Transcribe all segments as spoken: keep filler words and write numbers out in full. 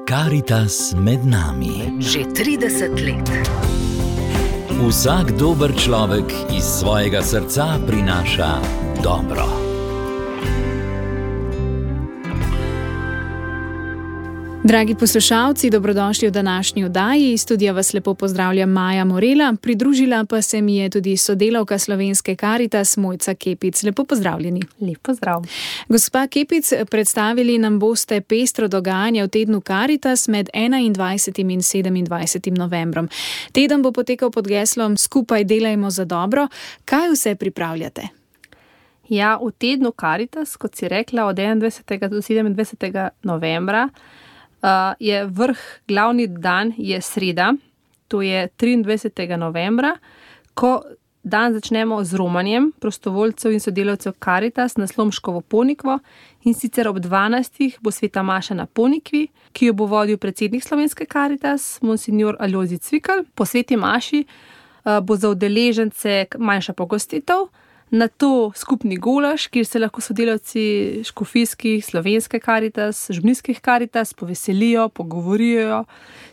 Karitas med nami. Že trideset let. Vsak dober človek iz svojega srca prinaša dobro. Dragi poslušalci, dobrodošli v današnji oddaji. Iz studia vas lepo pozdravlja Maja Morela, pridružila pa se mi je tudi sodelavka Slovenske Karitas Mojca Kepic. Lepo pozdravljeni. Lep pozdrav. Gospa Kepic, predstavili nam boste pestro dogajanje v tednu Karitas med enaindvajsetim in sedemindvajsetim novembrom. Teden bo potekal pod geslom Skupaj delajmo za dobro. Kaj vse pripravljate? Ja, v tednu Karitas, kot si rekla, od enaindvajsetega do sedemindvajsetega novembra, Uh, je vrh, glavni dan je sreda, to je triindvajsetega novembra, ko dan začnemo z romanjem prostovoljcev in sodelavcev Karitas na Slomškovo Ponikvo, in sicer ob dvanajstih bo sveta maša na Ponikvi, ki jo bo vodil predsednik Slovenske Karitas, monsignor Alojzij Cvikl. Po sveti maši uh, bo za udeležence manjša pogostitev, nato skupni golaž, kjer se lahko sodelavci škofijskih, Slovenske Karitas, župnijskih Karitas poveselijo, pogovorijo,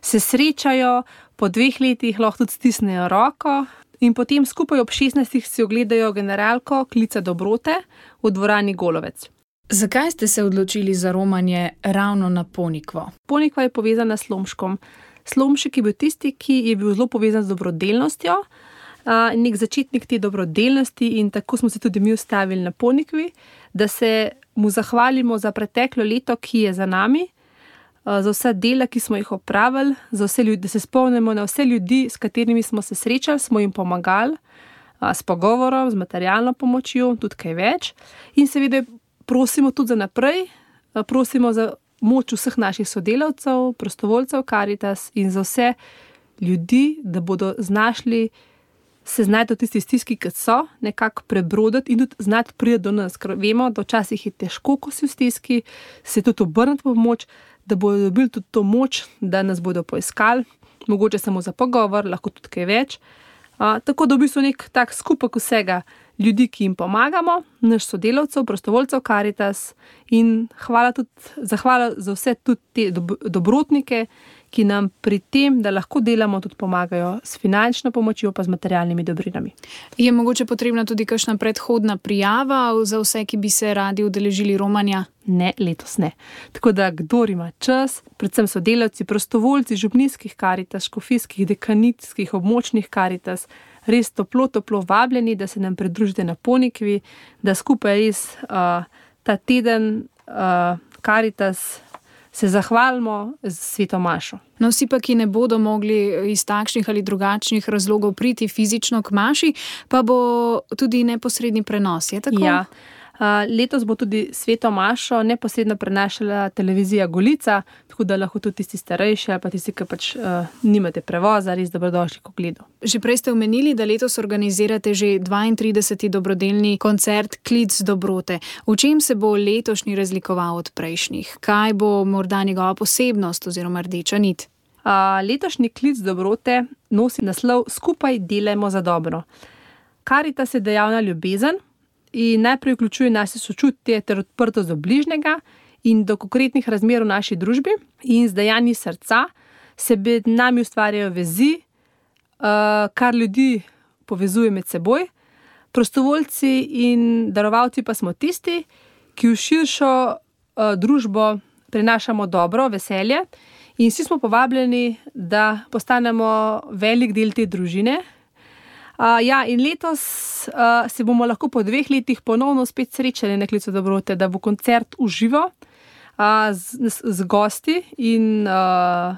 se srečajo, po dveh letih lahko tudi stisnejo roko in potem skupaj ob šestnajstih si ogledajo generalko Klica dobrote v dvorani Golovec. Zakaj ste se odločili za romanje ravno na Ponikvo? Ponikva je povezana s Slomškom. Slomšek je bil tisti, ki je bil zelo povezan z dobrodelnostjo, Uh, nek začetnik te dobrodelnosti, in tako smo se tudi mi ustavili na Ponikvi, da se mu zahvalimo za preteklo leto, ki je za nami, uh, za vsa dela, ki smo jih opravili, za vse ljudi, da se spomnimo na vse ljudi, s katerimi smo se srečali, smo jim pomagali, uh, s pogovorom, z materialno pomočjo, tudi kaj več. In seveda prosimo tudi za naprej, uh, prosimo za moč vseh naših sodelavcev, prostovoljcev Karitas in za vse ljudi, da bodo znašli se znajti v tisti stiski, kot so, nekako prebroditi in tudi znati priti do nas, ker vemo, da včasih je težko, ko si v stiski, se tudi obrniti po pomoč, da bodo dobili tudi to moč, da nas bodo poiskali, mogoče samo za pogovor, lahko tudi kaj več. A, tako da v bistvu nek tak skupek vsega ljudi, ki jim pomagamo, naš sodelavcev, prostovoljcev Karitas, in hvala tudi, zahvala za vse tudi te dob- dobrotnike, ki nam pri tem, da lahko delamo, tudi pomagajo s finančno pomočjo pa z materialnimi dobrinami. Je mogoče potrebna tudi kakšna predhodna prijava za vse, ki bi se radi udeležili romanja? Ne, letos ne. Tako da kdor ima čas, predvsem sodelavci, prostovoljci župnijskih Karitas, škofijskih, dekanitskih, območnih Karitas, res toplo, toplo vabljeni, da se nam pridružite na Ponikvi, da skupaj res uh, ta teden uh, Karitas se zahvalimo z sveto mašo. No, vsi pa, ki ne bodo mogli iz takšnih ali drugačnih razlogov priti fizično k maši, pa bo tudi neposredni prenos, je tako? Ja. Uh, letos bo tudi sveto mašo neposredno prenašala televizija Golica, tako da lahko tudi tisti starejši ali pa tisti, ki pač uh, nimate prevoza, res dobrodošli k ogledu. Že prej ste omenili, da letos organizirate že dvaintrideseti dobrodelni koncert Klic dobrote. V čem se bo letošnji razlikoval od prejšnjih? Kaj bo morda njegova posebnost oziroma rdeča nit? Uh, letošnji Klic dobrote nosi naslov Skupaj delajmo za dobro. Karitas je dejavna ljubezen in najprej vključuje naše sočutje ter odprtost do bližnjega in do konkretnih razmer v naši družbi, in z dejanji srca se med nami ustvarjajo vezi, kar ljudi povezuje med seboj. Prostovoljci in darovalci pa smo tisti, ki v širšo družbo prinašamo dobro, veselje, in vsi smo povabljeni, da postanemo velik del te družine. Uh, ja, in letos uh, se bomo lahko po dveh letih ponovno spet srečali na Klicu dobrote, da bo koncert v živo uh, z, z gosti in uh,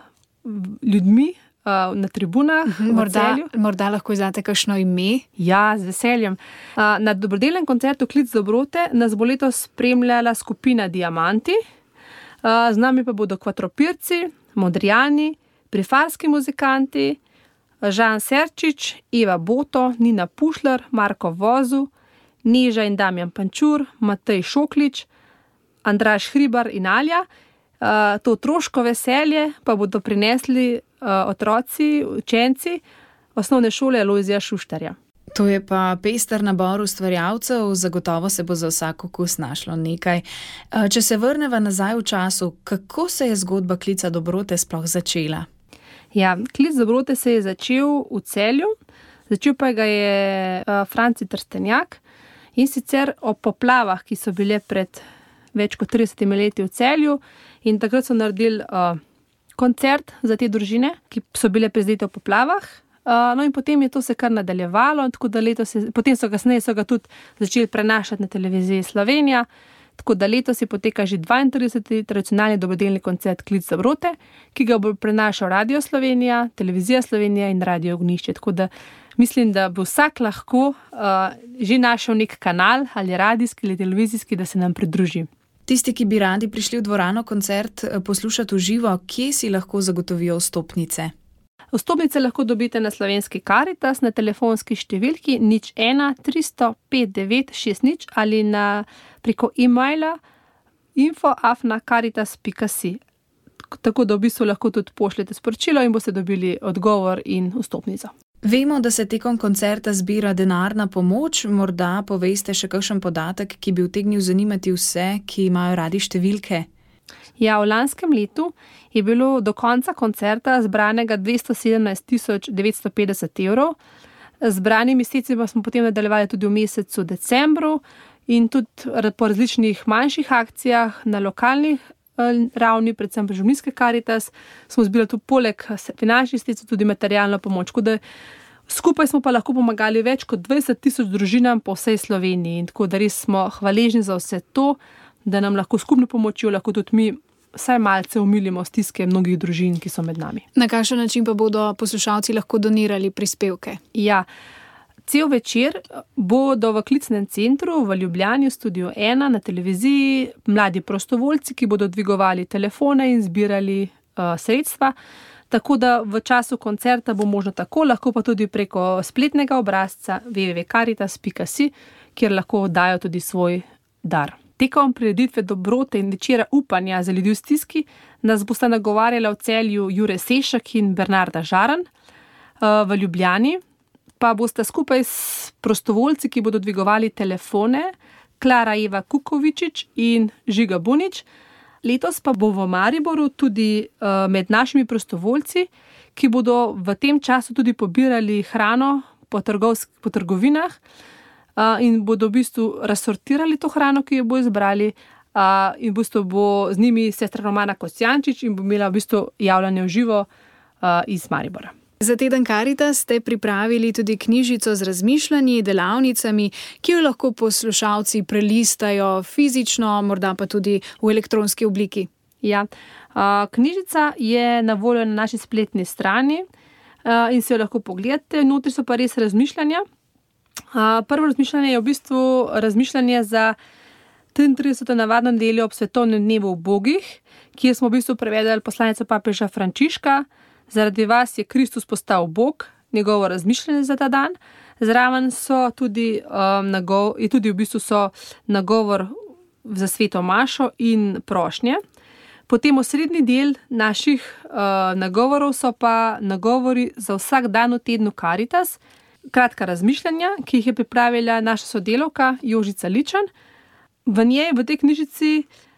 ljudmi uh, na tribunah. Uh-huh, morda, morda lahko izdate kakšno ime? Ja, z veseljem. Uh, na dobrodelnem koncertu Klic dobrote nas bo letos spremljala skupina Diamanti, uh, z nami pa bodo Kvatropirci, Modrijani, Prifarski muzikanti, Žan Serčič, Eva Boto, Nina Pušlar, Marko Vozu, Neža in Damjan Pančur, Matej Šoklič, Andraž Hribar in Alja. Uh, to otroško veselje pa bodo prinesli uh, otroci, učenci osnovne šole Alojzija Šuštarja. To je pa pester nabor ustvarjalcev, zagotovo se bo za vsak okus našlo nekaj. Če se vrneva nazaj v času, kako se je zgodba Klica dobrote sploh začela? Ja, Klic dobrote se je začel v Celju, začel pa ga je Franci Trstenjak in sicer o poplavah, ki so bile pred več kot tridesetimi leti v Celju, in takrat so naredili uh, koncert za te družine, ki so bile prizadete v poplavah. Uh, no in potem je to se kar nadaljevalo, tako da letos je, potem so kasneje so ga tudi začeli prenašati na televiziji Slovenija, tako da letos je poteka že dvaintrideseti tradicionalni dobrodelni koncert Klic dobrote, ki ga bo prenašal Radio Slovenija, Televizija Slovenija in Radio Ognjišče. Tako da mislim, da bo vsak lahko uh, že našel nek kanal, ali radijski ali televizijski, da se nam pridruži. Tisti, ki bi radi prišli v dvorano koncert poslušati v živo, kje si lahko zagotovijo vstopnice? Vstopnice lahko dobite na Slovenski Karitas na telefonski številki nič ena tristo pet devet šest nič ali na preko e-maila info afna karitas pika si. Tako da v bistvu lahko tudi pošljete sporočilo in boste dobili odgovor in vstopnico. Vemo, da se tekom koncerta zbira denarna pomoč, morda poveste še kakšen podatek, ki bi utegnil zanimati vse, ki imajo radi številke. Ja, v lanskem letu je bilo do konca koncerta zbranega dvesto sedemnajst tisoč devetsto petdeset evrov. Zbranimi sredstvi pa smo potem nadaljevali tudi v mesecu decembru in tudi po različnih manjših akcijah na lokalnih ravni, predvsem pri Župnijski Karitas, smo zbirali tudi poleg finančnih sredstev tudi materialno pomoč. Da skupaj smo pa lahko pomagali več kot dvajset tisoč družinam po vsej Sloveniji in tako da res smo hvaležni za vse to, da nam lahko skupno pomočjo lahko tudi mi vsaj malce umilimo stiske mnogih družin, ki so med nami. Na kakšen način pa bodo poslušalci lahko donirali prispevke? Ja, cel večer bodo v Klicnem centru v Ljubljani v studiu ena na televiziji mladi prostovoljci, ki bodo dvigovali telefone in zbirali uh, sredstva. Tako da v času koncerta bo možno tako, lahko pa tudi preko spletnega obrazca w w w pika karitas pika si, kjer lahko dajo tudi svoj dar. Tekom prireditve dobrote in večera upanja za ljudi v stiski nas bosta nagovarjala v Celju Jure Sešak in Bernarda Žaran. V Ljubljani pa bosta skupaj s prostovoljci, ki bodo dvigovali telefone, Klara Eva Kukovičič in Žiga Bunič. Letos pa bo v Mariboru tudi med našimi prostovoljci, ki bodo v tem času tudi pobirali hrano po, trgovsk- po trgovinah, Uh, in bodo v bistvu razsortirali to hrano, ki jo bo izbrali, uh, in v bistvu bo z njimi sestra Romana Kosjančič in bo imela v bistvu javljanje v živo uh, iz Maribora. Za teden Karitas ste pripravili tudi knjižico z razmišljanji, delavnicami, ki jo lahko poslušalci prelistajo fizično, morda pa tudi v elektronski obliki. Ja, uh, knjižica je na voljo na naši spletni strani uh, in si jo lahko pogledate. Notri so pa res razmišljanja. Uh, prvo razmišljanje je v bistvu razmišljanje za triintrideseto navadno nedeljo ob svetovnem dnevu ubogih, kjer smo v bistvu prevedali poslanico papeža Frančiška. Zaradi vas je Kristus postal Bog, njegovo razmišljanje za ta dan. Zraven so tudi, um, nagov, je tudi v bistvu so nagovor za sveto mašo in prošnje. Potem osrednji del naših uh, nagovorov so pa nagovori za vsak dan v tednu Karitas, kratka razmišljanja, ki jih je pripravila naša sodelavka Jožica Ličan. V njej, v tej knjižici,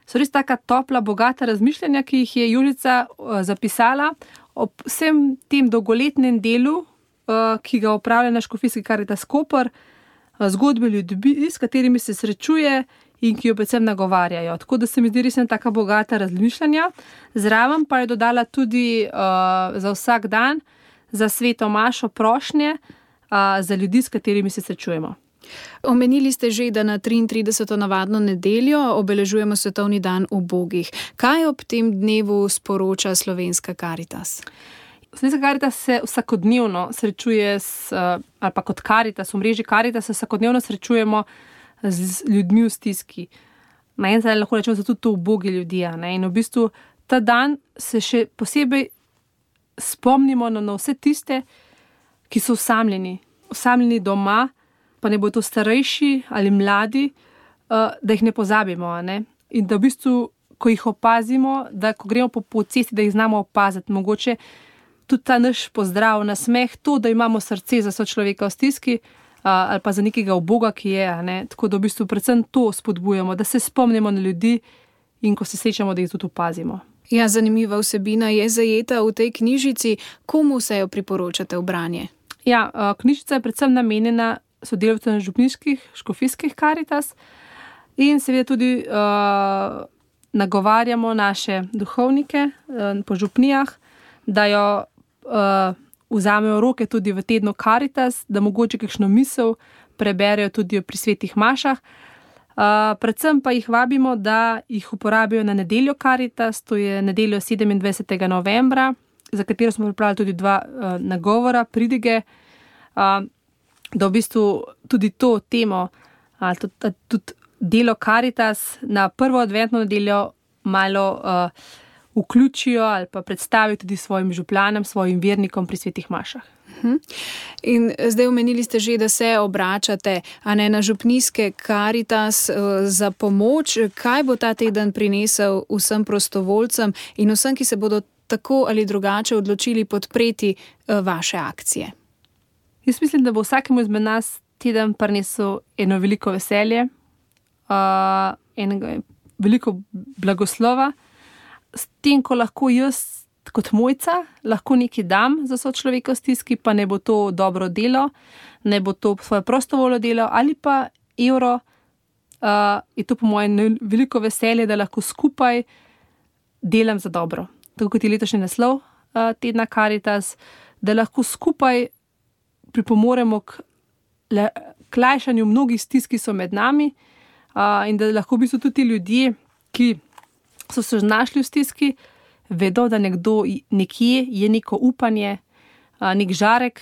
so res taka topla, bogata razmišljanja, ki jih je Jožica uh, zapisala ob vsem tem dolgoletnem delu, uh, ki ga opravlja na Škofijski Karitas Koper, uh, zgodbe ljudi, s katerimi se srečuje in ki jo predvsem nagovarjajo. Tako da se mi zdi res ena taka bogata razmišljanja. Zraven pa je dodala tudi uh, za vsak dan, za sveto mašo prošnje, za ljudi, s katerimi se srečujemo. Omenili ste že, da na triintrideseto navadno nedeljo obeležujemo svetovni dan ubogih. Kaj ob tem dnevu sporoča Slovenska Karitas? Slovenska Karitas se vsakodnevno srečuje s, ali pa kot Karitas, v mreži Karitas se vsakodnevno srečujemo z ljudmi v stiski. Na en način lahko rečemo, da so tudi to ubogi ljudje. Ne? In v bistvu ta dan se še posebej spomnimo na, na vse tiste, ki so osamljeni, osamljeni doma, pa ne bo to starejši ali mladi, da jih ne pozabimo. Ne? In da v bistvu, ko jih opazimo, da ko gremo po, po cesti, da jih znamo opaziti, mogoče tudi ta naš pozdrav, nasmeh, to, da imamo srce za sočloveka v stiski, ali pa za nekega uboga, ki je. Ne? Tako da v bistvu predvsem to spodbujamo, da se spomnimo na ljudi in ko se srečamo, da jih tudi opazimo. Ja, zanimiva vsebina je zajeta v tej knjižici. Komu se jo priporočate v branje? Ja, knjižica je predvsem namenjena sodelavcem župniških, škofijskih Karitas in seveda tudi uh, nagovarjamo naše duhovnike uh, po župnijah, da jo uh, vzamejo roke tudi v tednu Karitas, da mogoče kakšno misel preberejo tudi pri svetih mašah. Uh, predvsem pa jih vabimo, da jih uporabijo na nedeljo Karitas, to je nedeljo sedemindvajsetega novembra, za katero smo pripravili tudi dva uh, nagovora, pridige, uh, da v bistvu tudi to temo, uh, tudi, tudi delo Karitas na prvo adventno nedeljo malo uh, vključijo ali pa predstavijo tudi svojim župlanom, svojim vernikom pri svetih mašah. In zdaj omenili ste že, da se obračate a ne na župnijske Karitas za pomoč. Kaj bo ta teden prinesel vsem prostovoljcem in vsem, ki se bodo tako ali drugače odločili podpreti vaše akcije? Jaz mislim, da bo vsakemu izmed nas teden prinesel eno veliko veselje, uh, enega veliko blagoslova, s tem, ko lahko jaz kot Mojca lahko nekaj dam za sočloveka v stiski, pa ne bo to dobro delo, ne bo to svoje prostovoljno delo ali pa evro, uh, je to po mojem veliko veselje, da lahko skupaj delam za dobro. Tako kot je letošnji naslov uh, tedna Karitas, da lahko skupaj pripomoremo k, le, k lajšanju mnogih stisk, ki so med nami, uh, in da lahko v bistvu tudi ti ljudje, ki so se znašli v stiski, vedo, da nekdo nekje je neko upanje, nek žarek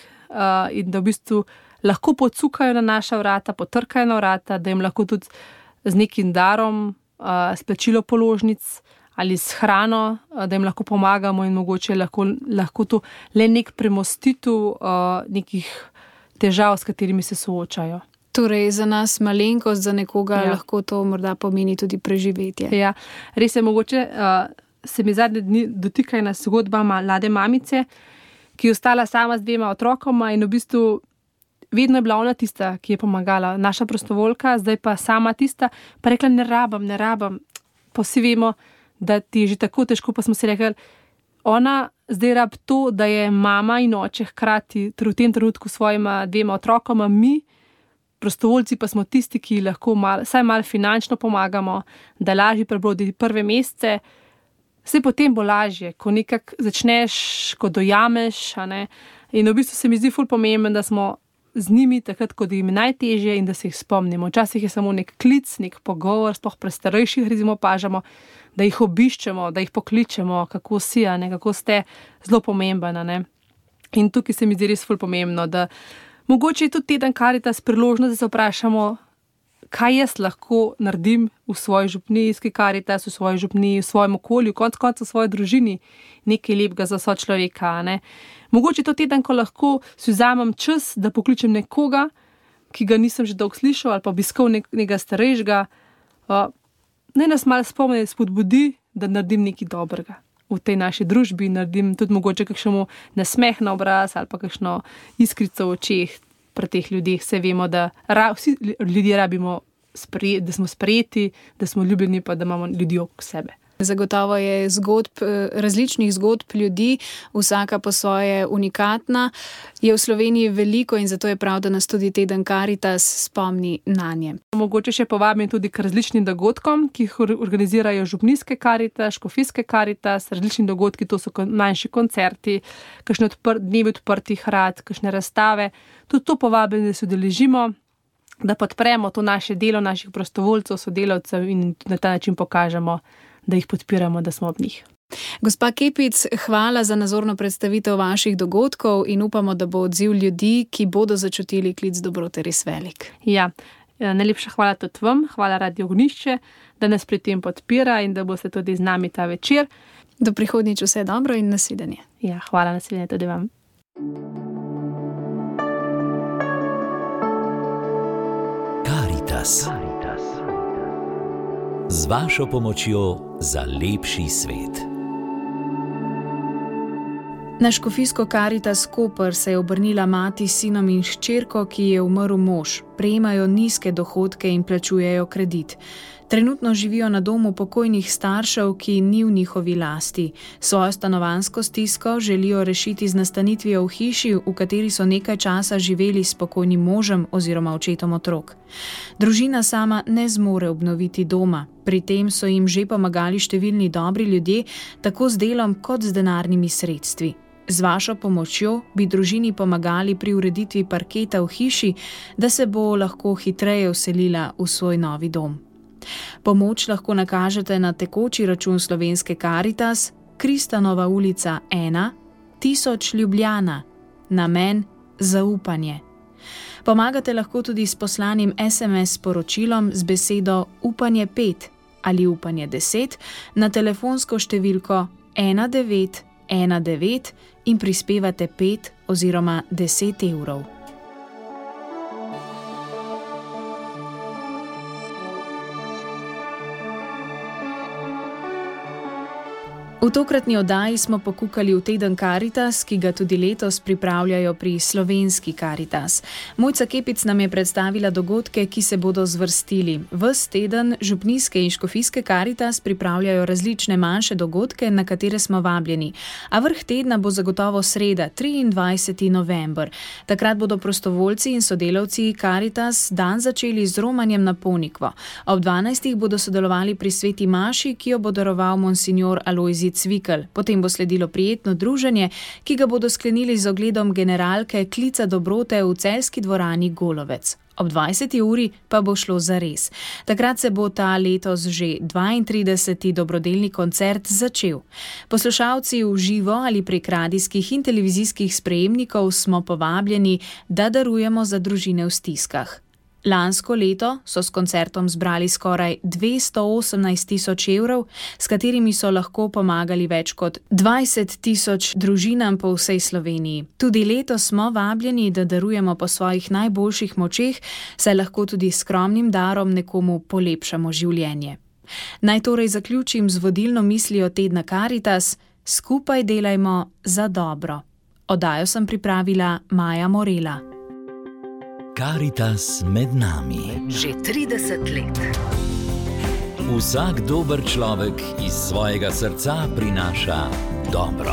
in da v bistvu lahko pocukajo na naša vrata, potrkajo na vrata, da jim lahko tudi z nekim darom, s plačilo položnic ali s hrano, da jim lahko pomagamo in mogoče lahko, lahko to le nek premostitev nekih težav, s katerimi se soočajo. Torej, za nas malenkost, za nekoga ja. Lahko to morda pomeni tudi preživetje. Ja, res je mogoče. Uh, se mi zadnje dni dotika ena zgodba mlade mamice, ki je ostala sama z dvema otrokoma in v bistvu vedno je bila ona tista, ki je pomagala, naša prostovoljka, zdaj pa sama tista, pa rekla, ne rabam, ne rabam. Pa vsi vemo, da ti je že tako težko, pa smo si rekli, ona zdaj rab to, da je mama in oče hkrati v tem trenutku svojima dvema otrokoma, mi, prostovoljci pa smo tisti, ki lahko mal, saj malo finančno pomagamo, da lažje prebrodi prve mesece. Vse potem bo lažje, ko nekako začneš, ko dojameš. A ne? In v bistvu se mi zdi ful pomembno, da smo z njimi takrat, ko jim je najtežje in da se jih spomnimo. Včasih je samo nek klic, nek pogovor, sploh pri starejših recimo pažamo, da jih obiščemo, da jih pokličemo, kako si, a ne? Kako ste, zelo pomembno. Ne? In tukaj se mi zdi res ful pomembno, da mogoče je tudi teden Karitas priložnost, da se vprašamo, kaj jaz lahko naredim v svoji župnijski Karitas, v svoji župniji, v svojem okolju, konec koncev v svoji družini, nekaj lepega za sočloveka. Ne? Mogoče je to teden, ko lahko si vzamem čas, da pokličem nekoga, ki ga nisem že dolgo slišal, ali pa obiskal nekega starejšega. Uh, naj nas malo spomni, spodbudi, da naredim nekaj dobrega v tej naši družbi, naredim tudi mogoče kakšnemu nasmeh na obraz ali pa kakšno iskrico v očeh. Pri teh ljudeh se vemo, da ra, vsi ljudje rabimo, spre, da smo sprejeti, da smo ljubljeni, pa da imamo ljudi okrog sebe. Zagotovo je zgodb, različnih zgodb ljudi, vsaka po svoje unikatna, je v Sloveniji veliko in zato je prav, da nas tudi teden Karitas spomni na nje. Mogoče še povabim tudi k različnim dogodkom, ki jih organizirajo župnijske Karitas, škofijske Karitas, različni dogodki, to so manjši koncerti, kakšne odpr, dnevi odprtih vrat, kakšne razstave. Tudi to povabim, da se udeležimo, da podpremo to naše delo naših prostovoljcev, sodelavcev in na ta način pokažemo, da jih podpiramo, da smo ob njih. Gospa Kepic, hvala za nazorno predstavitev vaših dogodkov in upamo, da bo odziv ljudi, ki bodo začutili klic dobrote, res velik. Ja, najlepša hvala tudi vam, hvala Radio Ognjišče, da nas pri tem podpira in da boste tudi z nami ta večer. Do prihodnjič vse dobro in nasvidenje. Ja, hvala, nasvidenje tudi vam. Karitas. Z vašo pomočjo za lepši svet. Na škofijsko Karitas Koper se je obrnila mati s sinom in hčerko, ki je umrl mož. Prejemajo nizke dohodke in plačujejo kredit. Trenutno živijo na domu pokojnih staršev, ki ni v njihovi lasti. Svojo stanovanjsko stisko želijo rešiti z nastanitvijo v hiši, v kateri so nekaj časa živeli s pokojnim možem oziroma očetom otrok. Družina sama ne zmore obnoviti doma. Pri tem so jim že pomagali številni dobri ljudje, tako z delom kot z denarnimi sredstvi. Z vašo pomočjo bi družini pomagali pri ureditvi parketa v hiši, da se bo lahko hitreje vselila v svoj novi dom. Pomoč lahko nakažete na tekoči račun Slovenske Karitas, Kristanova ulica ena, tisoč Ljubljana, namen zaupanje. Pomagate lahko tudi s poslanim es em es sporočilom z besedo upanje pet ali upanje deset na telefonsko številko ena devet ena devet in prispevate pet oziroma deset evrov. V tokratni oddaji smo pokukali v teden Karitas, ki ga tudi letos pripravljajo pri Slovenski Karitas. Mojca Kepic nam je predstavila dogodke, ki se bodo zvrstili. Ves teden župnijske in škofijske Karitas pripravljajo različne manjše dogodke, na katere smo vabljeni. A vrh tedna bo zagotovo sreda, triindvajseti november. Takrat bodo prostovoljci in sodelavci Karitas dan začeli z romanjem na Ponikvo. Ob dvanajstih bodo sodelovali pri sveti maši, ki jo bo daroval monsignor Alojzij Cvikl. Potem bo sledilo prijetno druženje, ki ga bodo sklenili z ogledom generalke Klica dobrote v celjski dvorani Golovec. Ob dvajseti uri pa bo šlo zares. Takrat se bo ta letos že dvaintrideseti dobrodelni koncert začel. Poslušalci v živo ali prek radijskih in televizijskih sprejemnikov smo povabljeni, da darujemo za družine v stiskah. Lansko leto so s koncertom zbrali skoraj dvesto osemnajst tisoč evrov, s katerimi so lahko pomagali več kot dvajset tisoč družinam po vsej Sloveniji. Tudi letos smo vabljeni, da darujemo po svojih najboljših močeh, saj lahko tudi s skromnim darom nekomu polepšamo življenje. Naj torej zaključim z vodilno mislijo tedna Karitas: skupaj delajmo za dobro. Oddajo sem pripravila Maja Morela. Karitas med nami. Že trideset let. Vsak dober človek iz svojega srca prinaša dobro.